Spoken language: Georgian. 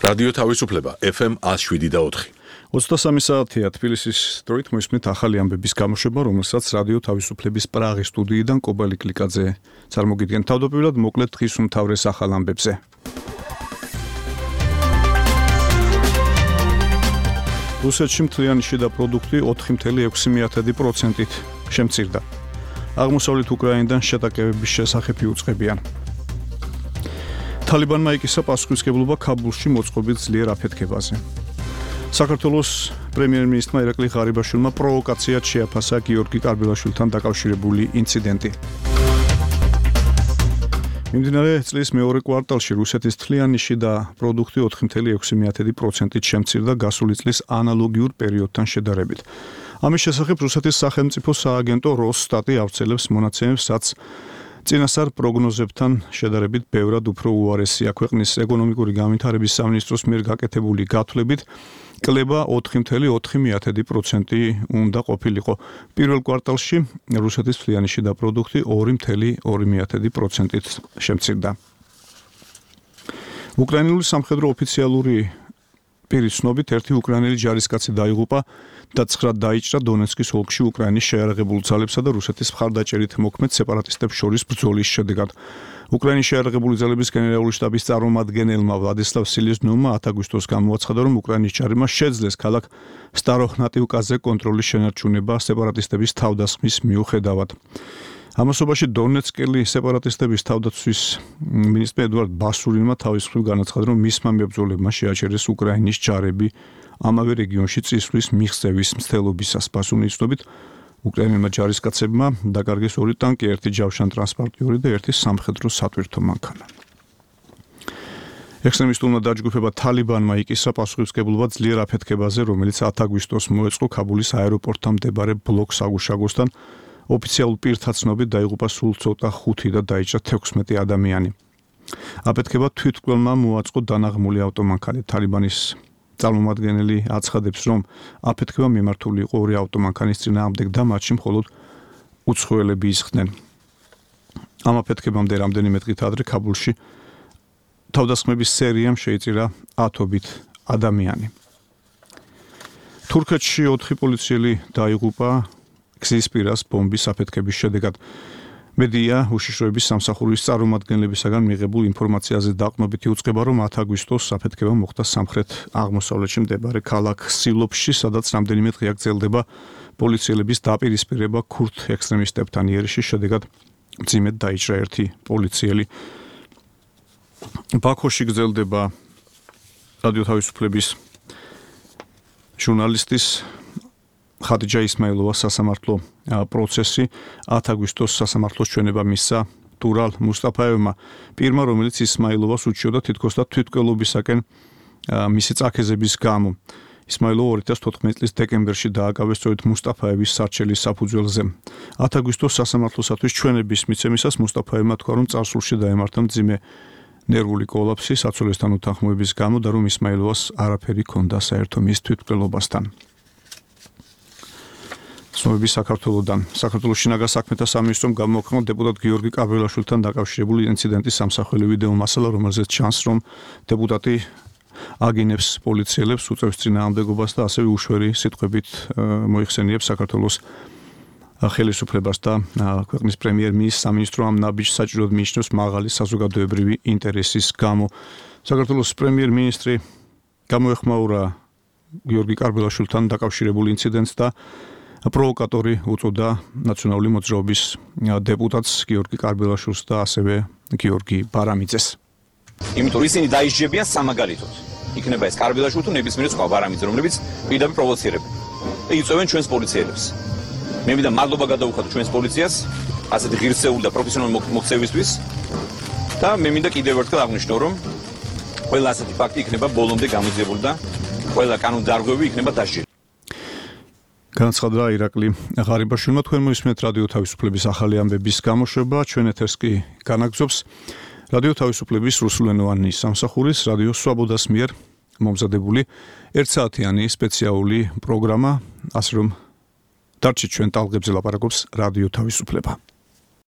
რადიო თავისუფლება FM 107.4. 23 საათია თბილისის დროით მოისმენთ ახალი ამბების გამოშვება, რომელსაც რადიო თავისუფლების პრაღის სტუდიიდან კობალი კლიკაძე წარმოგიდგენთ. თავდაპირველად მოკლედ დღის უმთავრეს ახალ ამბებზე. რუსეთში მთლიანი შიდა პროდუქტი 4.6%-ით შემცირდა. აღმოსავლეთ უკრაინიდან შეტაკებების შესახებ იუწყებიან. თალიბანმა იკისა პასუხისმგებლობა ქაბულში მოწყობით ძლიერ აფეთქებაზე. საქართველოს პრემიერ-მინისტრმა ირაკლი ღარიბაშვილმა პროვოკაციად შეაფასა გიორგი კარბილაშვილთან დაკავშირებული ინციდენტი. მიმდინარე წლის მეორე კვარტალში რუსეთის მთლიანი შიდა პროდუქტი 4.6%-ით შემცირდა გასული წლის ანალოგიურ პერიოდთან შედარებით. ამის შესახებ რუსეთის სახელმწიფო სააგენტო როსტატი ავრცელებს მონაცემებს, რაც წინასწარ პროგნოზებთან შედარებით ბევრად უფრო უარესია. ქვეყნის ეკონომიკური განვითარების სამინისტროს მიერ გაკეთებული გათვლებით კლება 4.4% უნდა ყოფილიყო. პირველ კვარტალში რუსეთის მთლიანი შიდა პროდუქტი 2.2%-ით შემცირდა. უკრაინული სამხედრო ოფიციალური პირის ცნობით ერთი უკრაინელი ჯარისკაცი დაიღუპა და 9 დაიჭრა დონეცკის ოლქში უკრაინის შეიარაღებულ ძალებსა და რუსეთის მხარდაჭერით მოქმედ სეპარატისტებს შორის ბრძოლის შედეგად. უკრაინის შეიარაღებული ძალების გენერალური შტაბის წარმომადგენელმა ვლადისლავ სილეზნოვმა 10 აგვისტოს გამოაცხადა, რომ უკრაინის ჯარებმა შეძლეს ქალაქ სტაროჰნატივკაზე კონტროლის შენარჩუნება სეპარატისტების თავდასხმის მიუხედავად. ამასობაში დონეცკელი სეპარატისტების თავდაცვის მინისტრ ედვარდ ბასურინმა თავის მხრივ განაცხადა, რომ მისმა მებრძოლებმა შეაჩერეს უკრაინის ჯარები ამავე რეგიონში წისვლის მიღწევის მცდელობისას. ბასურინის ცნობით უკრაინელმა ჯარისკაცებმა დაკარგეს 2 ტანკი, 1 ჯავშან ტრანსპორტიორი და 1 სამხედრო სატვირთო მანქანა. ექსტრემისტულმა დაჯგუფება თალიბანმა იკისა პასუხისმგებლობა ძლიერ აფეთქებაზე, რომელიც 10 აგვისტოს მოეწყო ქაბულის აეროპორტთან მდებარე ბლოკს აგუშაგოსთან. ოფიციალურ პირთა ცნობით დაიღუპა სულ ცოტა 5 და დაიჭრა 16 ადამიანი. აფეთქება თვითმკვლელმა მოაწყო დანაღმული ავტომანქანით. თალიბანის წარმომადგენელი აცხადებს, რომ აფეთქება მიმართული იყო 2 ავტომანქანის წინააღმდეგ და მათში მხოლოდ უცხოელები ისხდნენ. ამ აფეთქებამდე რამდენიმე დღით ადრე ქაბულში თავდასხმების სერიამ შეიწირა 10-ობით ადამიანი. თურქეთში 4 პოლიციელი დაიღუპა გზის პირას ბომბის აფეთქების შედეგად. მედია უშიშროების სამსახურის წარმომადგენლებისაგან მიღებულ ინფორმაციაზე დაყრდნობით იუწყება, რომ 10 აგვისტოს აფეთქება მოხდა სამხრეთ აღმოსავლეთში მდებარე ქალაქ სილოფში, სადაც რამდენიმე დღე გრძელდება პოლიციელების დაპირისპირება ქურთ ექსტრემისტებთან. იერიშის შედეგად მძიმედ დაიჭრა 1 პოლიციელი. ბაქოში გრძელდება რადიო თავისუფლების ჟურნალისტის ხადიჯა ისმაილოვას სასამართლო პროცესი. 10 აგვისტოს სასამართლოს ჩვენება მისცა ტურალ მუსტაფაევმა, პირმა, რომელიც ისმაილოვას უჩიოდა თითქოს და თვითმკვლელობისაკენ მისი წაქეზების გამო. ისმაილოვა 2014 წლის დეკემბერში დააკავეს სწორედ მუსტაფაევის სარჩელის საფუძველზე. 10 აგვისტოს სასამართლოსათვის ჩვენების მიცემისას მუსტაფაევმა თქვა, რომ წარსულში დაემართა მძიმე ნერვული კოლაფსი საცოლესთან უთანხმოების გამო და რომ ისმაილოვას არაფერი ჰქონდა საერთო მის თვითმკვლელობასთან. ცნობები საქართველოსთან. საქართველოს შინაგან საქმეთა სამინისტრომ გამოაქვეყნა დეპუტატ გიორგი კარბილაშვილთან დაკავშირებული ინციდენტის სამსახველი ვიდეო მასალა, რომელზეც ჩანს, რომ დეპუტატი აგინებს პოლიციელებს, უწევს წინააღმდეგობას და ასევე უშვერი სიტყვებით მოიხსენიებს საქართველოს ხელისუფლებას და ქვეყნის პრემიერ-მინისტრს. სამინისტრო ამ ნაბიჯს საჭიროდ მიიჩნევს მაღალი საზოგადოებრივი ინტერესის გამო. საქართველოს პრემიერ-მინისტრი გამოეხმაურა გიორგი კარბილაშვილთან დაკავშირებულ ინციდენტს და პროვოკატორი უწოდა ნაციონალური მოძრაობის დეპუტატს გიორგი კარბილაშვილს და ასევე გიორგი ბარამიძეს. იმიტომ ისინი დაიშჯებიან სამაგალითოდ. იქნება ეს კარბილაშვილი თუ ნებისმიერი სხვა ბარამიძე, რომლებიც პირდაპირ პროვოცირებენ და იწვევენ ჩვენს პოლიციელებს. მე მინდა მადლობა გადავუხადო ჩვენს პოლიციას ასეთი ღირსეული და პროფესიონალური მოქცევისთვის და მე მინდა კიდევ ერთხელ აღნიშნო, რომ ყველა ასეთი ფაქტი იქნება ბოლომდე გამოძიებული და ყველა კანონდარღვევი იქნება დასჯილი. განაცხადა ირაკლი ღარიბაშვილმა. თქვენ მოისმენთ რადიო თავისუფლების ახალი ამბების გამოშვება. ჩვენ ეთერს კი განაგრძობს რადიო თავისუფლების რუსულენოვანი სამსახურის რადიო სვაბოდას მიერ მომზადებული 1 საათიანი სპეციალური პროგრამა, ასე რომ დარჩით ჩვენ ტალღებზე ლაპარაკობს რადიო თავისუფლება.